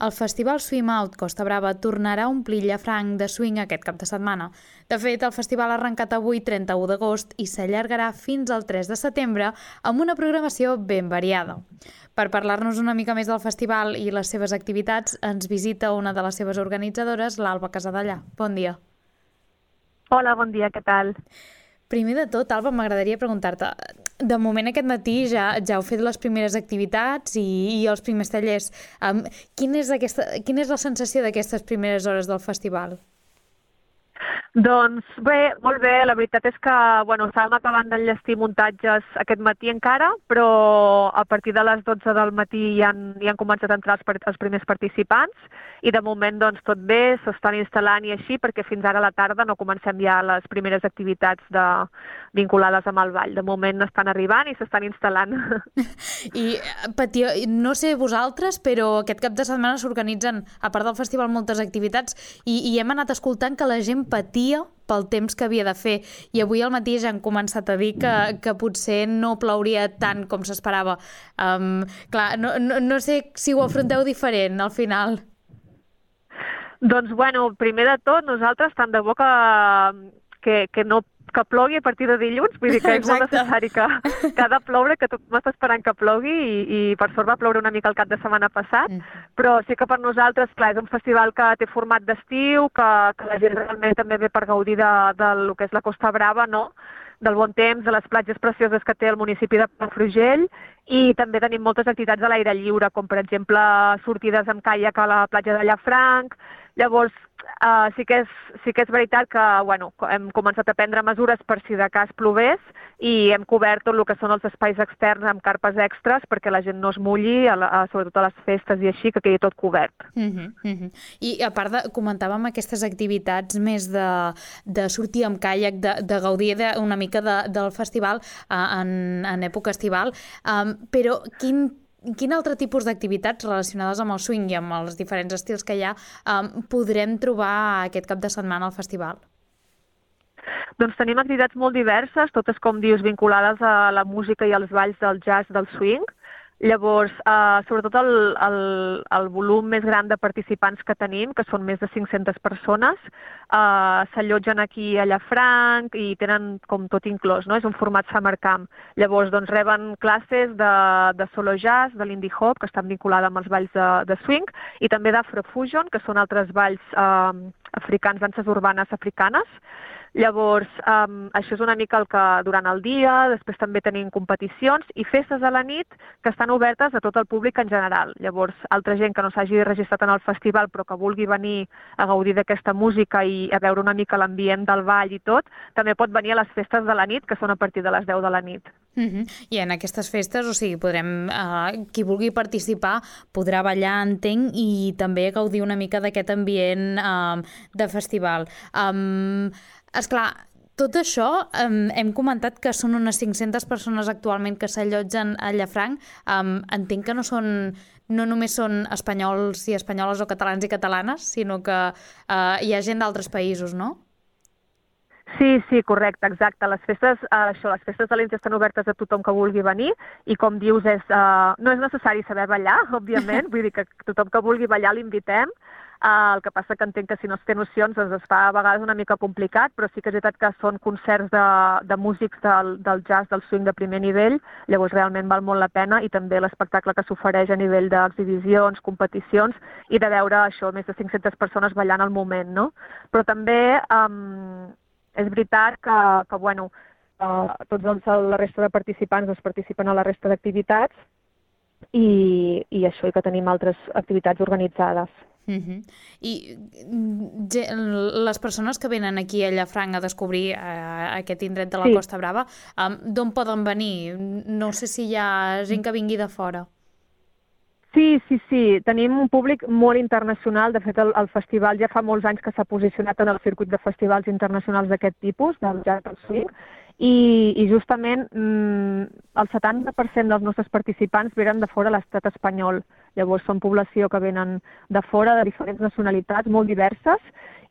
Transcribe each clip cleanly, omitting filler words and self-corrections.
El festival Swim Out Costa Brava tornarà a omplir Llafranc de swing aquest cap de setmana. De fet, el festival ha arrencat avui, 31 d'agost, i s'allargarà fins al 3 de setembre amb una programació ben variada. Per parlar-nos una mica més del festival i les seves activitats, ens visita una de les seves organitzadores, l'Alba Casadellà. Bon dia. Hola, bon dia, què tal? Primer de tot, Alba, m'agradaria preguntar-te, de moment aquest matí ja heu fet les primeres activitats i els primers tallers. Quina és la sensació d'aquestes primeres hores del festival? Doncs bé, molt bé. La veritat és que estàvem acabant d'enllestir muntatges aquest matí encara, però a partir de les 12 del matí ja han començat a entrar els primers participants i de moment doncs, tot bé, s'estan instal·lant i així, perquè fins ara a la tarda no comencem ja les primeres activitats vinculades amb el ball. De moment estan arribant i s'estan instal·lant. I no sé vosaltres, però aquest cap de setmana s'organitzen, a part del festival, moltes activitats i hem anat escoltant que la gent patia pel temps que havia de fer i avui al matí ja han començat a dir que potser no plauria tant com s'esperava. Clar, no sé si ho afronteu diferent al final. Doncs primer de tot, nosaltres tant de bo que plogui a partir de dilluns, vull dir que és molt necessari que ha de ploure, que tothom està esperant que plogui i per sort va ploure una mica el cap de setmana passat, però sí que per nosaltres, clar, és un festival que té format d'estiu, que la gent realment també ve per gaudir del que és la Costa Brava, no?, del bon temps, de les platges precioses que té el municipi de Palafrugell, i també tenim moltes activitats a l'aire lliure, com per exemple sortides amb caiac a la platja de Llafranc. Llavors, sí que és veritat que hem començat a prendre mesures per si de cas plogués i hem cobert tot el que són els espais externs amb carpes extres perquè la gent no es mulli, sobretot a les festes i així, que quedi tot cobert. I a part comentàvem aquestes activitats més de sortir amb caiac, de gaudir una mica del festival en època estival, però quin altre tipus d'activitats relacionades amb el swing i amb els diferents estils que hi ha podrem trobar aquest cap de setmana al festival? Doncs tenim activitats molt diverses, totes, com dius, vinculades a la música i als balls del jazz, del swing. Llavors, sobretot el volum més gran de participants que tenim, que són més de 500 persones, s'allotgen aquí a Llafranc i tenen com tot inclòs, no? És un format summer camp. Llavors, doncs, reben classes de solo jazz, de l'indie hop, que estan vinculada amb els balls de swing, i també d'afrofusion, que són altres balls africans, danses urbanes africanes. Llavors, això és una mica el que durant el dia, després també tenim competicions i festes a la nit que estan obertes a tot el públic en general. Llavors, altra gent que no s'hagi registrat en el festival però que vulgui venir a gaudir d'aquesta música i a veure una mica l'ambient del ball i tot, també pot venir a les festes de la nit, que són a partir de les 10 de la nit. I en aquestes festes, o sigui, qui vulgui participar podrà ballar, entenc, i també gaudir una mica d'aquest ambient de festival. Esclar, tot això, hem comentat que són unes 500 persones actualment que s'allotgen a Llafranc. Entenc que no només són espanyols i espanyoles o catalans i catalanes, sinó que hi ha gent d'altres països, no? Sí, correcte, exacte. Les festes de l'Índia estan obertes a tothom que vulgui venir i, com dius, no és necessari saber ballar, òbviament, vull dir que tothom que vulgui ballar l'invitem. El que passa que entenc que si no es té nocions es fa a vegades una mica complicat, però sí que és veritat que són concerts de músics del jazz, del swing de primer nivell, llavors realment val molt la pena, i també l'espectacle que s'ofereix a nivell d'exhibicions, competicions, i de veure això, més de 500 persones ballant al moment, no? Però també és veritat que tots la resta de participants participen a la resta d'activitats i això, i que tenim altres activitats organitzades. I les persones que venen aquí a Llafranc a descobrir aquest indret de la Costa Brava, d'on poden venir? No sé si hi ha gent que vingui de fora. Sí. Tenim un públic molt internacional. De fet, el festival ja fa molts anys que s'ha posicionat en el circuit de festivals internacionals d'aquest tipus, del jazz del swing, i justament el 70% dels nostres participants venen de fora de l'estat espanyol. Llavors són població que venen de fora, de diferents nacionalitats, molt diverses,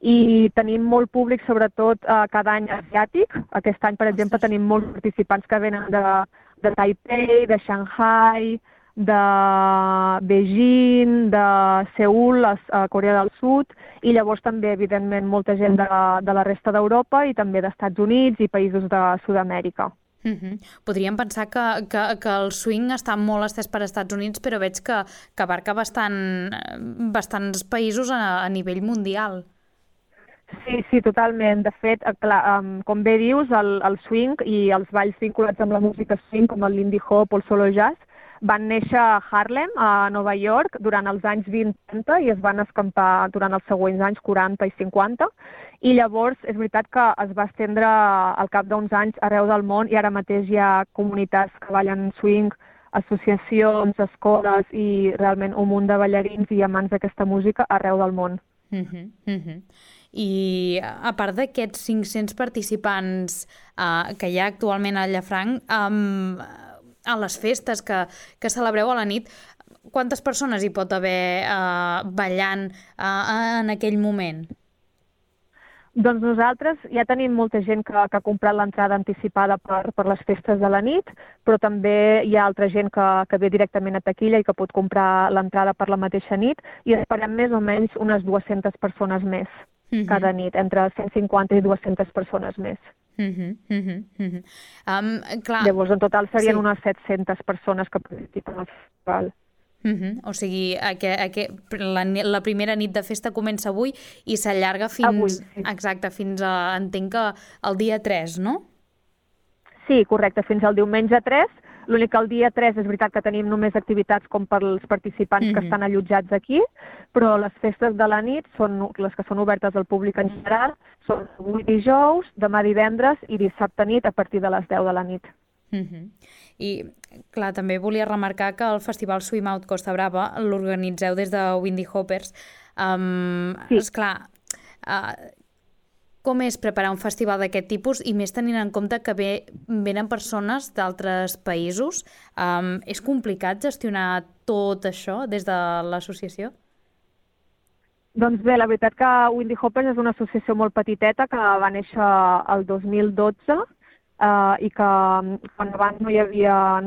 i tenim molt públic, sobretot cada any asiàtic. Aquest any, per exemple, tenim molts participants que venen de Taipei, de Shanghai, de Beijing, de Seül, a Corea del Sud, i llavors també, evidentment, molta gent de la resta d'Europa i també d'Estats Units i països de Sud-amèrica. Podríem pensar que el swing està molt estès per Estats Units, però veig que abarca bastants països a nivell mundial. Sí, totalment. De fet, clar, com bé dius, el swing i els balls vinculats amb la música swing, com el Lindy Hop o el Solo Jazz, van néixer a Harlem, a Nova York, durant els anys 20-30 i es van escampar durant els següents anys 40 i 50. I llavors és veritat que es va estendre al cap d'uns anys arreu del món i ara mateix hi ha comunitats que ballen swing, associacions, escoles i realment un munt de ballarins i amants d'aquesta música arreu del món. I a part d'aquests 500 participants que hi ha actualment a Llafranc, a les festes que celebreu a la nit, quantes persones hi pot haver ballant en aquell moment? Doncs nosaltres ja tenim molta gent que ha comprat l'entrada anticipada per les festes de la nit, però també hi ha altra gent que ve directament a taquilla i que pot comprar l'entrada per la mateixa nit i esperem més o menys unes 200 persones més cada nit, entre 150 i 200 persones més. Clar. Llavors, en total serien unes 700 persones que participen al festival. O sigui, la primera nit de festa comença avui i s'allarga fins, exacte, fins a, entenc que el dia 3, no? Sí, correcte, fins al diumenge 3. L'únic que el dia 3 és veritat que tenim només activitats com per als participants que estan allotjats aquí, però les festes de la nit són les que són obertes al públic en general, són avui dijous, demà divendres i dissabte nit a partir de les 10 de la nit. I, clar, també volia remarcar que el Festival Swim Out Costa Brava l'organitzeu des de Windy Hoppers. Sí. Esclar, com és preparar un festival d'aquest tipus i més tenint en compte que venen persones d'altres països? És complicat gestionar tot això des de l'associació? Doncs bé, la veritat que Windy Hoppers és una associació molt petiteta que va néixer el 2012 i que quan abans no hi havia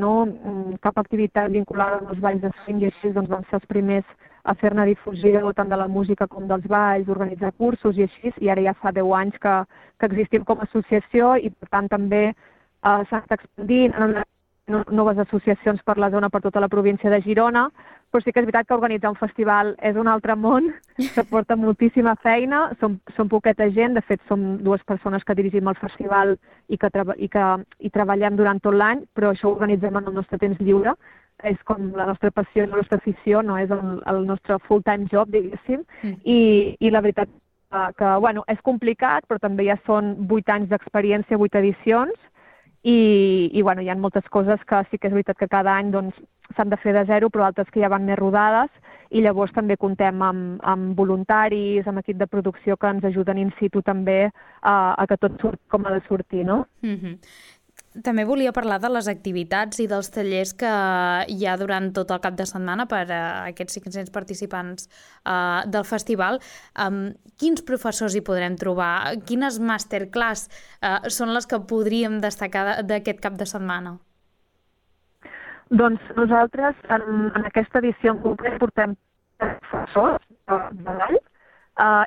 cap activitat vinculada als balls de swing i així doncs van ser els primers a fer-ne difusió tant de la música com dels balls, organitzar cursos i així, i ara ja fa 10 anys que existim com a associació i per tant també s'han estat expandint noves associacions per la zona, per tota la província de Girona, però sí que és veritat que organitzar un festival és un altre món, que porta moltíssima feina, som poqueta gent, de fet som 2 persones que dirigim el festival i treballem durant tot l'any, però això ho organitzem en el nostre temps lliure, és com la nostra passió i la nostra afició, no és el nostre full-time job, diguéssim, i la veritat que, bueno, és complicat, però també ja són 8 anys d'experiència, 8 edicions, i bueno, hi ha moltes coses que sí que és veritat que cada any doncs, s'han de fer de zero, però altres que ja van més rodades, i llavors també comptem amb voluntaris, amb equip de producció que ens ajuden in situ també a que tot surti com ha de sortir, no? També volia parlar de les activitats i dels tallers que hi ha durant tot el cap de setmana per a aquests 500 participants del festival. Quins professors hi podrem trobar? Quines masterclass són les que podríem destacar d'aquest cap de setmana? Doncs nosaltres en aquesta edició en concret portem professors de ball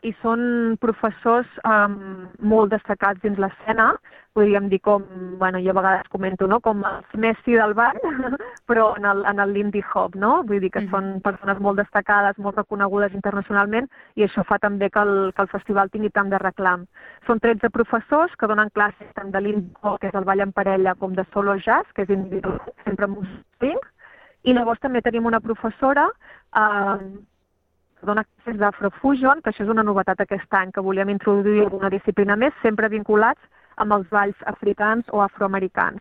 i són professors molt destacats dins l'escena, podríem dir com, bueno, jo a vegades comento, no? Com els Messi del ball, però en el Lindy Hop, no? Vull dir que són persones molt destacades, molt reconegudes internacionalment i això fa també que el festival tingui tant de reclam. Són 13 professors que donen classes tant de Lindy Hop, que és el ball en parella, com de Solo Jazz, que és individual, sempre amb swing, i llavors també tenim una professora que dona classes d'Afrofusion, que això és una novetat aquest any, que volíem introduir alguna disciplina més, sempre vinculats amb els balls africans o afroamericans.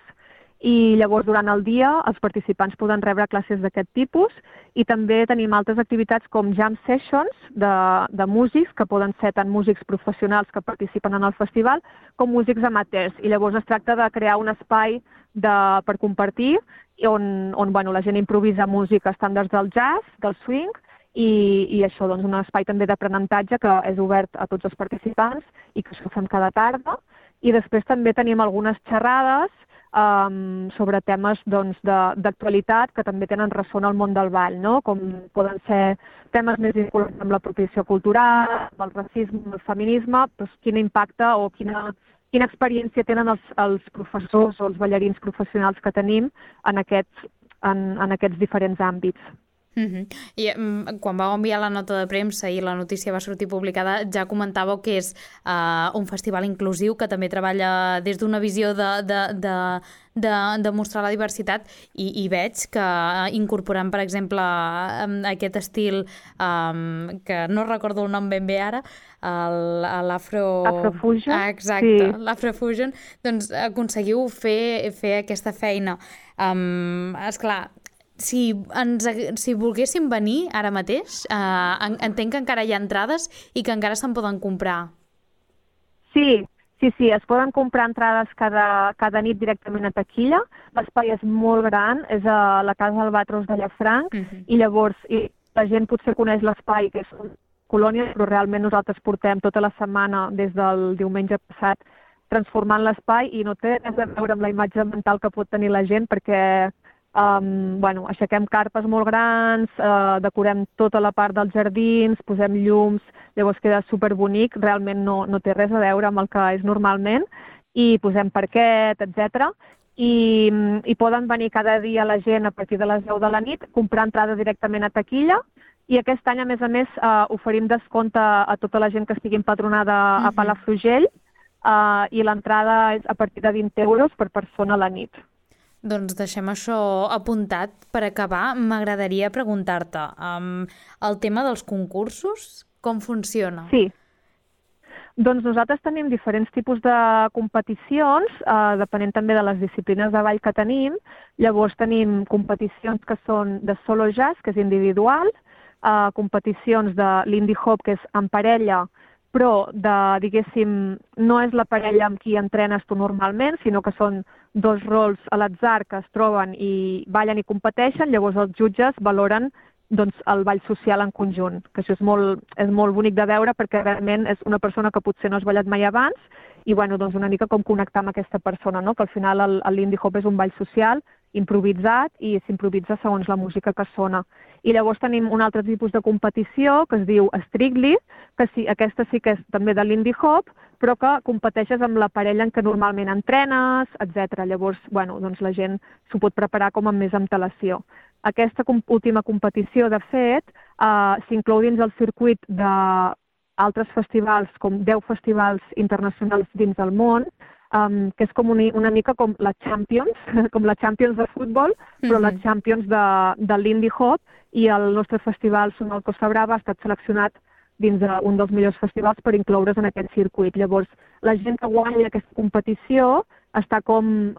I llavors durant el dia els participants poden rebre classes d'aquest tipus i també tenim altres activitats com jam sessions de músics, que poden ser tant músics professionals que participen en el festival com músics amateurs. I llavors es tracta de crear un espai per compartir on bueno, la gent improvisa música estàndards del jazz, del swing, i això, doncs, un espai també d'aprenentatge que és obert a tots els participants i que això ho fem cada tarda. I després també tenim algunes xerrades sobre temes doncs, d'actualitat que també tenen ressò en el món del ball, no? Com poden ser temes més vinculats amb l'apropiació cultural, amb el racisme, amb el feminisme, doncs quin impacte o quina experiència tenen els professors o els ballarins professionals que tenim en aquests diferents àmbits. I quan vau enviar la nota de premsa i la notícia va sortir publicada, ja comentàveu que és un festival inclusiu que també treballa des d'una visió de mostrar la diversitat i veig que incorporant, per exemple, aquest estil que no recordo el nom ben bé ara, l'Afrofusion. Exacte, sí. L'Afrofusion, doncs aconseguiu fer aquesta feina. Esclar, si volguéssim venir ara mateix, entenc que encara hi ha entrades i que encara se'n poden comprar. Sí, es poden comprar entrades cada nit directament a taquilla. L'espai és molt gran, és a la Casa Albatros de Llafranc, i llavors la gent potser coneix l'espai, que és una colònia, però realment nosaltres portem tota la setmana, des del diumenge passat, transformant l'espai i no té res a veure amb la imatge mental que pot tenir la gent, perquè aixequem carpes molt grans, decorem tota la part dels jardins, posem llums, llavors queda superbonic, realment no té res a veure amb el que és normalment, i posem parquet, etc. I poden venir cada dia la gent a partir de les 10 de la nit, comprar entrada directament a taquilla, i aquest any, a més, oferim descompte a tota la gent que estigui empadronada a Palafrugell, i l'entrada és a partir de 20 euros per persona a la nit. Doncs deixem això apuntat. Per acabar, m'agradaria preguntar-te, el tema dels concursos, com funciona? Sí. Doncs nosaltres tenim diferents tipus de competicions, depenent també de les disciplines de ball que tenim. Llavors tenim competicions que són de solo jazz, que és individual, competicions de l'indie hop, que és en parella, però, diguéssim, no és la parella amb qui entrenes tu normalment, sinó que són dos rols a l'atzar que es troben i ballen i competeixen, llavors els jutges valoren el ball social en conjunt, que això és molt bonic de veure perquè realment és una persona que potser no has ballat mai abans i una mica com connectar amb aquesta persona, no? Que al final l'indie hop és un ball social, improvisat, i s'improvisa segons la música que sona. I llavors tenim un altre tipus de competició que es diu Strictly, que sí, aquesta sí que és també de l'indie hop, però que competeixes amb la parella en què normalment entrenes, etc. Llavors, la gent s'ho pot preparar com amb més antelació. Aquesta última competició, de fet, s'inclou dins el circuit d'altres festivals, com 10 festivals internacionals dins del món, que és com una mica com la Champions, com la Champions de futbol, però la Champions de l'indie hop, i el nostre festival Sonal Costa Brava ha estat seleccionat dins d'un dels millors festivals per incloure's en aquest circuit. Llavors, la gent que guanya aquesta competició està com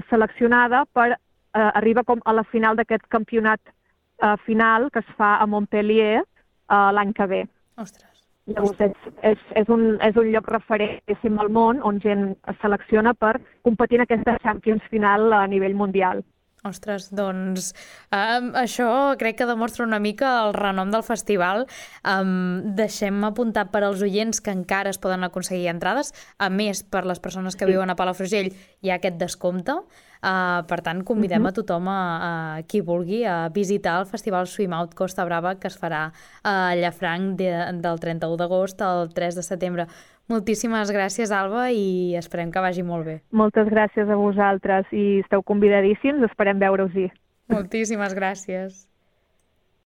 seleccionada per arribar com a la final d'aquest campionat final que es fa a Montpellier l'any que ve. Ostres. Llavors, és un lloc referent al món on gent es selecciona per competir en aquesta Champions final a nivell mundial. Ostres, doncs això crec que demostra una mica el renom del festival. Deixem apuntat per als oients que encara es poden aconseguir entrades. A més, per les persones que viuen a Palafrugell hi ha aquest descompte. Per tant, convidem a tothom, a qui vulgui, a visitar el Festival Swim Out Costa Brava, que es farà a Llafranc del 31 d'agost al 3 de setembre. Moltíssimes gràcies, Alba, i esperem que vagi molt bé. Moltes gràcies a vosaltres i esteu convidadíssims, esperem veure-us-hi. Moltíssimes gràcies.